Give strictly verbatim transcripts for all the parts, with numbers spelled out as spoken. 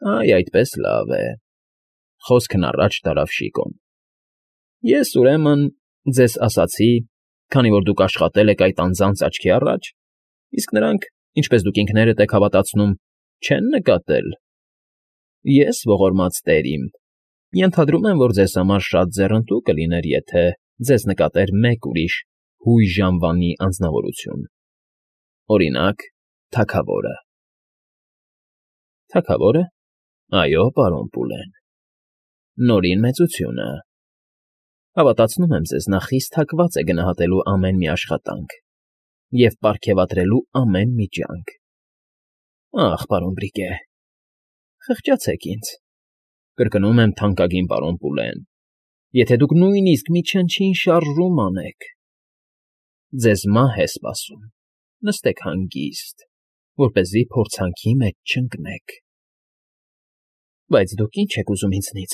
Այ այդպես լավ է,֊ խոսքն առաջ տարավ Շիկոն։֊ Ես, ուրեմն, ձեզ ասացի, քանի որ դուք աշխատել եք այդ անձանց աչքի առաջ, իսկ նրանք, ինչպես դուք ինքներդ եք հավատացնում, չեն նկատել… Ես, ողորմած տեր իմ, ենթադրում եմ, որ ձեզ համար շատ ձեռնտու կլիներ, եթե ձեզ նկատեր մեկ ուրիշ հույժ անվանի անձնավորություն, օրինակ, թագավորը։ ֊ Թագավո՞րը։ Այո, պարոն Պուլեն, Նորին Մեծությունը… Հավատացնում եմ ձեզ, նա խիստ հակված է գնահատելու ամեն մի աշխատանք և պարգևատրելու ամեն մի ջանք։ Ախ, պարոն Բրիկե… Խղճացեք ինձ, կրկնում եմ, թանկագին պարոն Պուլեն, եթե դուք նույնիսկ մի չնչին շարժում անեք… Ձեզ մահ է սպասում, նստեք հանգիստ, որպեսզի փորձանքի մեջ չընկնեք։ ֊ Բայց դուք ի՞նչ եք ուզում ինձնից,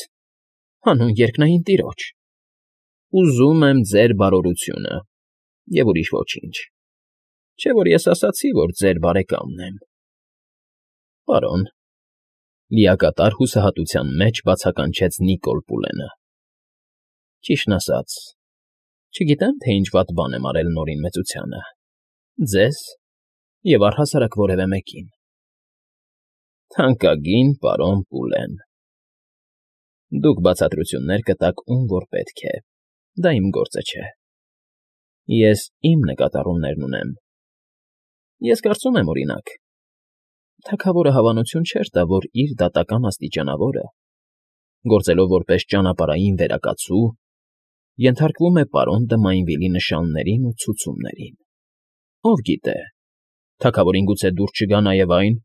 հանուն երկնային տիրոջ։ ֊ Ուզում եմ ձեր բարօրությունը և ուրիշ ոչինչ, չէ՞ որ ես ասացի, որ ձեր բարեկամն եմ։ ֊ Պարոն,֊ լիակատար հուսահատության մեջ բացականչեց Նիկոլ Պուլենը,֊ ճիշտն ասած, չգիտեմ, թե ինչ վատ բան եմ արել Նորին Մեծությանը, ձեզ և առհասարակ որևէ մեկին։ ֊ Թանկագին պարոն Պուլեն, դուք բացատրություններ կտաք, ում որ պետք է, դա իմ գործը չէ։ Ես իմ նկատառումներն ունեմ։ Ես կարծում եմ, օրինակ, թագավորը հավանություն չէր տա, որ իր դատական աստիճանավորը, գործելով որպես ճանապարհային վերակացու, ենթարկվում է պարոն Դմայնվիլի նշաններին ու ցուցումներին։ Ով գիտե, թագավորին գուցե դուր չգա նաև այն,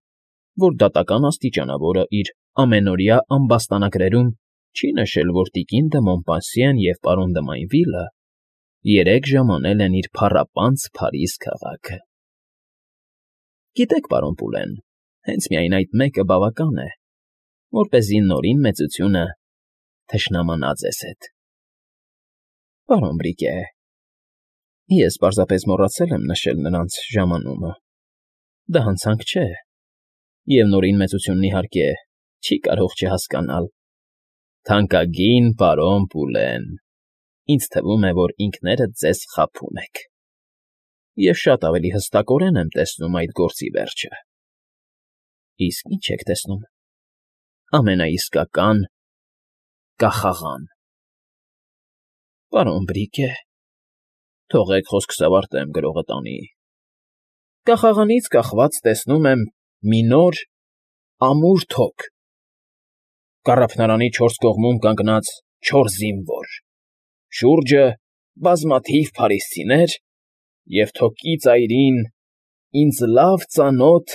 որ դատական աստիճանավորը իր ամենօրյա ամբաստանագրերում չի նշել, որ տիկին դը Մոմպասիեն և պարոն Դմայնվիլը երեք ժամ անել են իր փառապանծ Փարիզ քաղաքը։ Գիտեք, պարոն Պուլեն, հենց միայն այդ մեկը բավական է, որպեսզի Նորին Մեծությունը թշնամանա ձեզ հետ։ ֊ Պարոն Բրիկե, ես պարզապես մոռացել եմ նշել նրանց ժամանումը, դա հանցանք չէ, և Նորին Մեծությունն, իհարկե, չի կարող չհասկանալ։ ֊ Թանկագին պարոն Պուլեն, ինձ թվում է, որ ինքներդ ձեզ խաբում եք։ Ես շատ ավելի հստակորեն եմ տեսնում այդ գործի վերջը։ ֊ Իսկ ի՞նչ եք տեսնում։ ֊ Ամենաիսկական կախաղան։ ֊ Պարոն Բրիկե, թողեք խոսքս ավարտեմ, գրողը տանի։ Կախաղանից կախված տեսնում եմ մի նոր, ամուր թոք, կառափնարանի չորս կողմում կանգնած չորս զինվոր, շուրջը բազմաթիվ փարիսցիներ և թոկի ծայրին ինձ լավ ծանոթ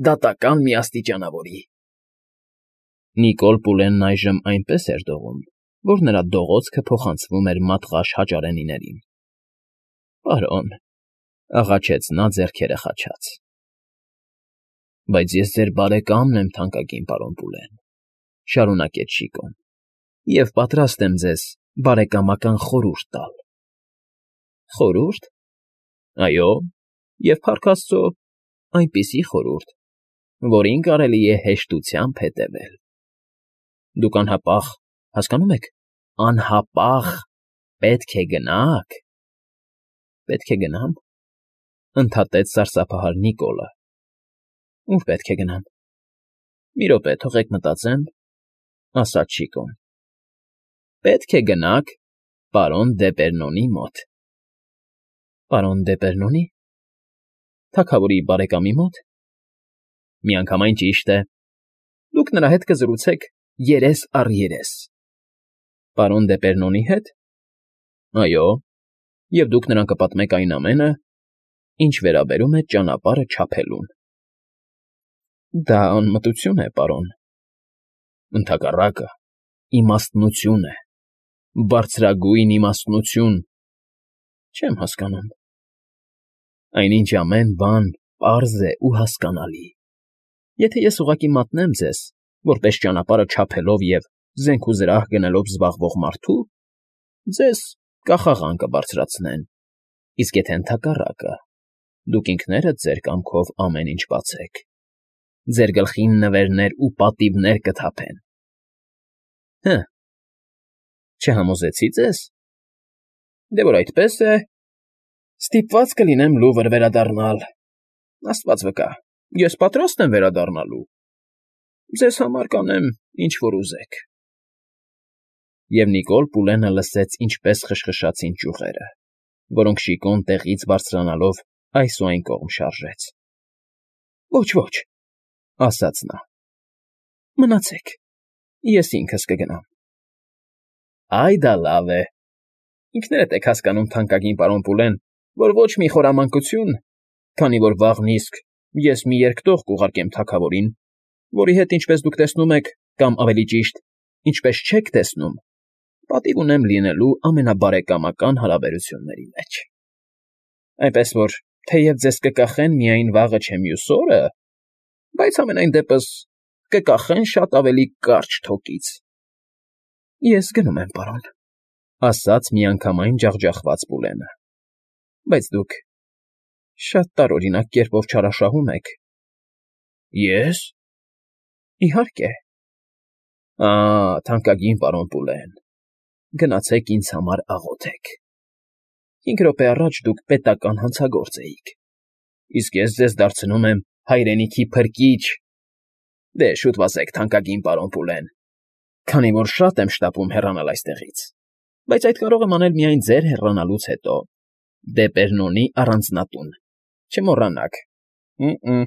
դատական մի աստիճանավորի… Նիկոլ Պուլենն այժմ այնպես էր դողում, որ նրա դողոցքը փոխանցվում էր մատղաշ հաճարենիներին։ ֊ Պարոն,֊ աղաչեց նա ձեռքերը խաչած։ ֊ Բայց ես ձեր բարեկամն եմ, թանկագին պարոն Պուլեն,֊ շարունակեց Շիկոն,֊ և պատրաստ եմ ձեզ բարեկամական խորհուրդ տալ։ ֊ Խորհո՞ւրդ։ Այո, և, փառք աստծո, այնպիսի խորհուրդ, որին կարելի է հեշտությամբ հետևել։ Դուք անհապաղ, հասկանո՞ւմ եք, անհապաղ պետք է գնաք… ֊ Պետք է գնա՞մ,֊ ընդհատեց սարսափահար Նիկոլը։ ֊ Ո՞ւր պետք է գնամ։ ֊ Մի րոպե, թողեք մտածեմ,֊ ասաց Շիկոն։ ֊ Պետք է գնաք պարոն Դեպերնոնի մոտ։ ֊ Պարոն Դեպերնոնի՞… Թագավորի բարեկամի մո՞տ։ ֊ Միանգամայն ճիշտ է, դուք նրա հետ կզրուցեք երես առ երես։ ֊ Պարոն Դեպերնոնի հետ։ ֊ Այո, և դուք նրան կպատմեք այն ամենը, ինչ վերաբերում է ճանապարհը չափելուն։ ֊ Դա անմտություն է, պարոն։ ֊ Ընդհակառակը, իմաստնություն է, բարձրագույն իմաստնություն… Չեմ հասկանում։ ֊ Այնինչ ամեն բան պարզ է ու հասկանալի… Եթե ես ուղղակի մատնեմ ձեզ, որպես ճանապարհը չափելով և զենք ու զրահ գնելով զբաղվող մարդու, ձեզ կախաղան կբարձրացնեն, իսկ եթե ընդհակառակը, դուք ինքներդ ձեր կամքով ամեն ինչ բացեք, ձեր գլխին նվերներ ու պատիվներ կթափեն։ Հը, չհամոզեցի ձեզ։ Դե որ այդպես է, ստիպված կլինեմ լուվր վերադառնալ։ Աստված վկա, ես պատրաստ եմ վերադառնալու։ Ձեզ համար կանեմ, ինչ որ ուզեք։ Եվ Նիկոլ Պուլենը լսեց, ինչպես խշխշացին ճյուղերը, որոնք Շիկոն տեղից բարձրանալով այս ու այն կողմ շարժեց։ Ոչ, ոչ, ասաց նա։ Մնացեք, ես ինքս կգնամ։ Այ դա լավ է։ Ինքներդ եք հասկանում, թանկագին պարոն Պուլեն, որ ոչ մի խորամանկություն, քանի որ վաղն իսկ ես մի երկտող կուղարկեմ թագավորին, որի հետ, ինչպես դուք տեսնում եք, կամ ավելի ճիշտ, ինչպես չեք տեսնում, պատիվ ունեմ լինելու ամենաբարեկամական հարաբերությունների մեջ։ Այնպես որ, թեև ձեզ կկախեն միայն վաղը չէ մյուս օրը, բայց համենայն դեպս կկախեն շատ ավելի կարճ թոկից։ Ես գնում եմ, պարոն, ասաց միանգամայն ջախջախված Պուլենը։ Բայց դուք շատ տարօրինակ կերպով չարաշահում եք։ Ես։ Իհարկե։ Ա, թանկագին պարոն Պուլեն, գնացեք ինձ համար աղոթեք։ Հինգ րոպե առաջ դուք պետական հանցագործ էիք, իսկ ես ձեզ դարձնում եմ հայրենիքի փրկիչ։ Դե շուտ վազեք, թանկագին պարոն Պուլեն, քանի որ շատ եմ շտապում հեռանալ այստեղից, բայց այդ կարող եմ անել միայն ձեր հեռանալուց հետո, դե Պերնոնի առանձնատուն, չմոռանաք։ Մ֊մ։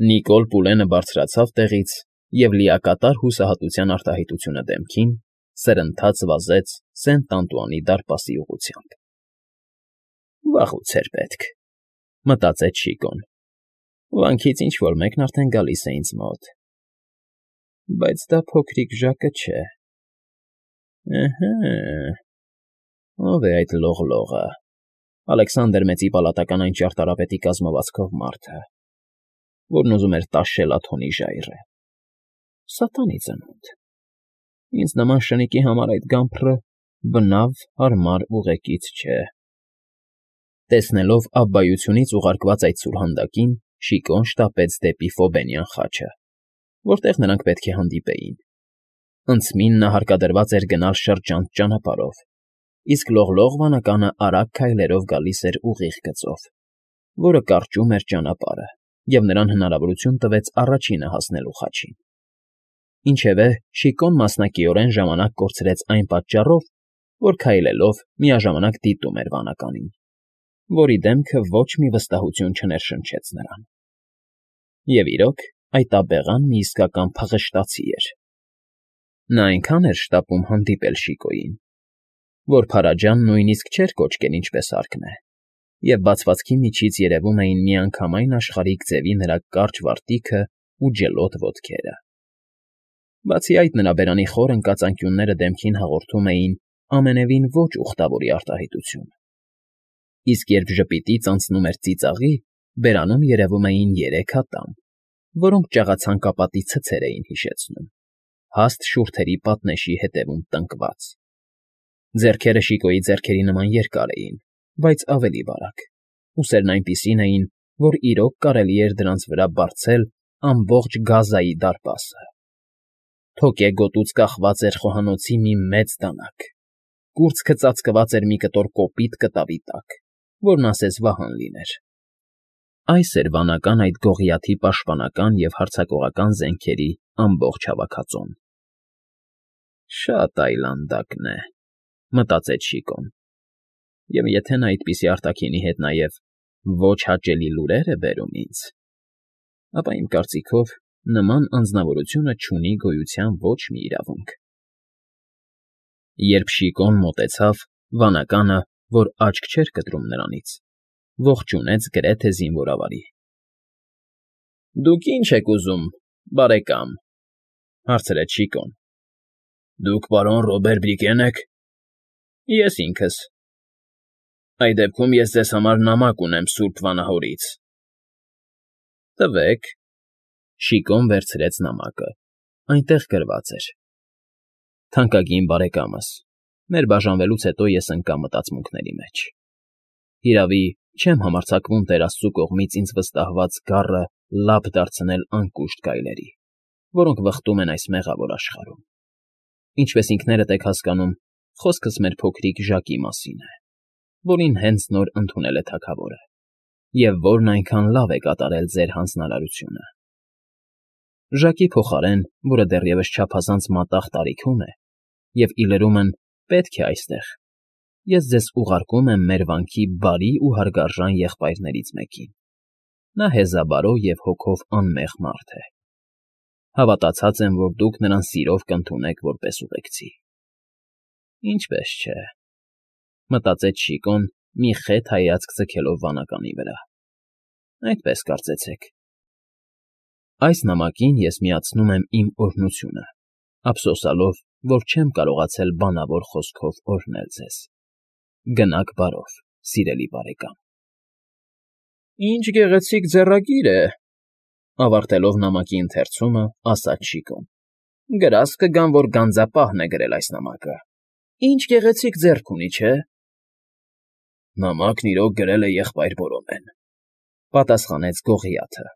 Նիկոլ Պուլենը բարձրացավ տեղից և լիակատար հուսահատության արտահայտությունը դեմքին սրընթաց վազեց Սենտ Անտուանի դարպասի ուղղությամբ։ Վաղուց էր պետք, մտածեց Շիկոն։ Վանքից ինչ֊որ մեկն արդեն գալիս է ինձ մոտ։ Բայց դա փոքրիկ Ժակը չէ։ Ըհը, ո՞վ է այդ լողլողը, Ալեքսանդր Մեծի պալատական այն ճարտարապետի կազմվածքով մարդը, որն ուզում էր տաշել Աթոնի ժայռը։ Սատանի ծնունդ։ Ինձ նման շնիկի համար այդ գամփրը բնավ հարմար ուղեկից չէ։ Տեսնելով աբբայությունից ուղարկված այդ սուրհանդակին, Շիկոն շտապեց դեպի Ֆոբենյան խաչը, որտեղ նրանք պետք է հանդիպեին։ Անցմին նա հարկադրված էր գնալ շրջանց ճանապարհով, իսկ լողլող վանականը արագ քայլերով գալիս էր ուղիղ գծով, որը կարճում էր ճանապարհը, և նրան հնարավորություն տվեց առաջինը հասնելու խաչին։ Ինչևէ, Շիկոն մասնակիորեն ժամանակ կորցրեց այն պատճառով, որ քայլելով միաժամանակ դիտում էր վանականին, որի դեմքը ոչ մի վստահություն չներշնչեց նրան։ Եվ իրոք, այդ աբեղան մի իսկական փղշտացի էր։ Նա այնքան էր շտապում հանդիպել Շիկոյին, որ Փարաջան նույնիսկ չէր կոչկել ինչպես հարկն է, և բացվածքի միջից երևում էին միանգամայն աշխարհիկ ձևի նրա կարճ վարտիքը ու ջլոտ ոտքերը։ Բացի այդ, նրա բերանի խոր ընկած անկյունները դեմքին հաղորդում էին ամենևին ոչ ուխտավորի արտահայտություն։ Իսկ երբ ժպիտից անցնում էր ծիծաղի, բերանում երևում էին երեք ատամ, որոնք ճաղացանկապատի ցցեր էին հիշեցնում, հաստ շուրթերի պատնեշի հետևում տնկված։ Ձեռքերը Շիկոյի ձեռքերի նման երկար էին, բայց ավելի բարակ, ուսերն այնպիսին էին, որ իրոք կարելի էր դրանց վրա բարձել ամբողջ Գազայի դարպասը։ Թոկե գոտուց կախված էր խոհանոցի մի մեծ դանակ, կուրծքը ծածկված էր մի կտոր կոպիտ կտավի տակ, որն ասես վահան լիներ։ Այս էր վանական այդ գողիաթի պաշտպանական և հարձակողական զենքերի ամբողջ հավաքածուն։ Շատ այլանդակն է, մտածեց Շիկոն, և եթե նա այդպիսի արտաքինի հետ նաև ոչ հաճելի լուրեր է բերում ինձ, ապա իմ կարծիքով նման անձնավորությունը չունի գոյության ոչ մի իրավունք։ Երբ Շիկոն մոտեցավ, վանականը, որ աչք չէր կտրում նրանից, ողջունեց գրեթե զինվորավարի։ ֊ Դուք ի՞նչ եք ուզում, բարեկամ,֊ հարցրեց Շիկոն։ ֊ Դուք պարոն Ռոբեր Բրիկեն եք։ ֊ Ես ինքս։ ֊ Այդ դեպքում ես ձեզ համար նամակ ունեմ սուրբ վանահորից։ ֊ Տվեք։ Շիկոն վերցրեց նամակը, այնտեղ գրված էր. Թանկագին բարեկամս, մեր բաժանվելուց հետո ես ընկա մտածմունքների մեջ։ Հիրավի, չեմ համարձակվում Տեր Աստծու կողմից ինձ վստահված գառը լապ դարձնել անկուշտ գայլերի, որոնք վխտում են այս մեղավոր աշխարհում։ Ինչպես ինքներդ եք հասկանում, խոսքս մեր փոքրիկ Ժակի մասին է, որին հենց նոր ընդունել է թագավորը, և որն այնքան լավ է կատարել ձեր հանձնարարությունը։ Ժակի փոխարեն, որը դեռևս չափազանց մատաղ տարիքում է, և ի լրումն պետք է այստեղ, ես ձեզ ուղարկում եմ մեր վանքի բարի ու հարգարժան եղբայրներից մեկին։ Նա հեզաբարո և հոգով անմեղ մարդ է։ Հավատացած եմ, որ դուք նրան սիրով կընդունեք որպես ուղեկցի։ Ինչպես չէ, մտածեց Շիկոն, մի խետ հայացք ձգելով վանականի վրա։ Այդպես կարծեցեք։ Այս նամակին ես միացնում եմ իմ օրհնությունը, ափսոսալով, որ չեմ կարողացել բանավոր խոսքով օրհնել ձեզ։ Գնաք բարով, սիրելի բարեկամ։ Ինչ գեղեցիկ ձեռագիր է, ավարտելով նամակի ընթերցումը, ասաց Շիկոն։ Գրած կգամ, որ գանձապահն է գրել այս նամակը։ Ինչ գեղեցիկ ձեռք ունի, չէ՞։ Նամակն իրոք գրել է եղբայր Բորոմեն, պատասխանեց Գողիաթը։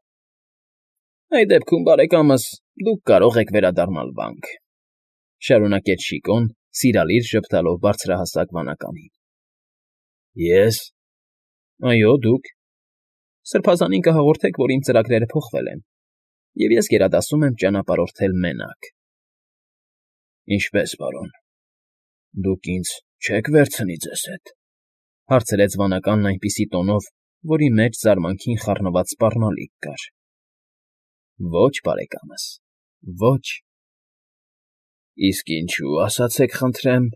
Այդ դեպքում, բարեկամս, դուք կարող եք վերադառնալ վանք, շարունակեց Շիկոն, սիրալիր ժպտալով բարձրահասակ վանականին։ Ես։ Այո, դուք։ Սրբազանին կհաղորդեք, որ իմ ծրագրերը փոխվել են, և ես գերադասում եմ ճանապարհորդել մենակ։ Ինչպե՞ս, պարոն։ Դուք ինձ չեք վերցնի ձեզ հետ, հարցրեց վանականն այնպիսի տոնով, որի մեջ զարմանքին խառնված սպառնալիք կար։ Ոչ, բարեկամս, ոչ։ Իսկ ինչու, ասացեք խնդրեմ։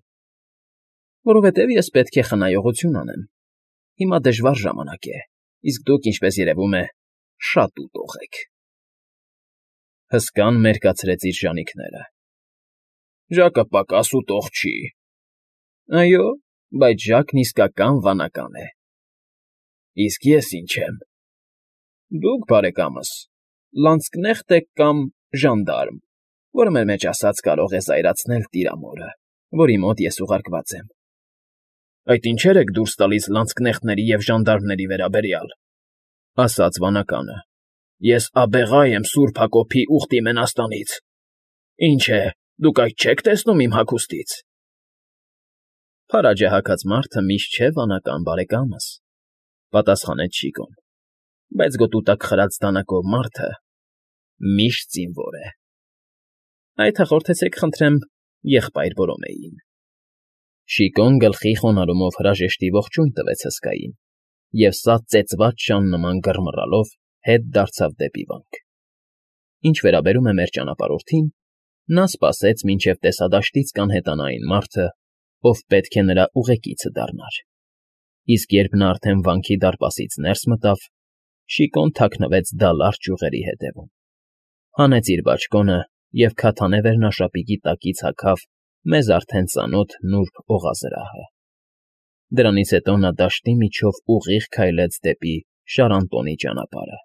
Որովհետև ես պետք է խնայողություն անեմ։ Հիմա դժվար ժամանակ է, իսկ դուք, ինչպես երևում է, շատ ուտող եք։ Հսկան մերկացրեց իր ժանիքները։ Ժակը պակաս ուտող չի։ Այո, բայց Ժակն իսկական վանական է։ Իսկ ես ինչ եմ։ Դուք, բարեկամս, լանցկնեխտ եք կամ ժանդարմ, որը մեր մեջ ասած կարող է զայրացնել տիրամորը, որի մոտ ես ուղարկված եմ։ Այդ ինչեր եք դուրս տալիս լանցկնեխտների և ժանդարմների վերաբերյալ, ասաց վանականը։ Ես աբեղա եմ Սուրբ Հակոբի ուխտի մենաստանից։ Ինչ է, դուք այդ չեք տեսնում իմ հագուստից։ Փարաջը հագած մարդը միշտ չէ վանական, բարեկամս, պատասխանեց Շիկոն, բայց գոտու տակ խրած դանակով մարդը միշտ զինվոր է։ Այդ հաղորդեցեք, խնդրեմ, եղբայր Բորոմեին։ Շիկոն գլխի խոնարհումով հրաժեշտի ողջույն տվեց հսկային, և սա ծեծված շան նման գռմռալով հետ դարձավ դեպի վանք։ Ինչ վերաբերում է մեր ճանապարհորդին, նա սպասեց, մինչև տեսադաշտից կանհետանա այն մարդը, ով պետք է նրա ուղեկիցը դառնար։ Իսկ երբ նա արդեն վանքի դարպասից ներս մտավ, Շիկոն թաքնվեց դալար ճյուղերի հետևում, հանեց իր բաճկոնը և քաթանե վերնաշապիկի տակից հագավ մեզ արդեն ծանոթ նուրբ օղազրահը։ Դրանից հետո նա դաշտի միջով ուղիղ քայլեց դեպի Շարանտոնի ճանապարհը։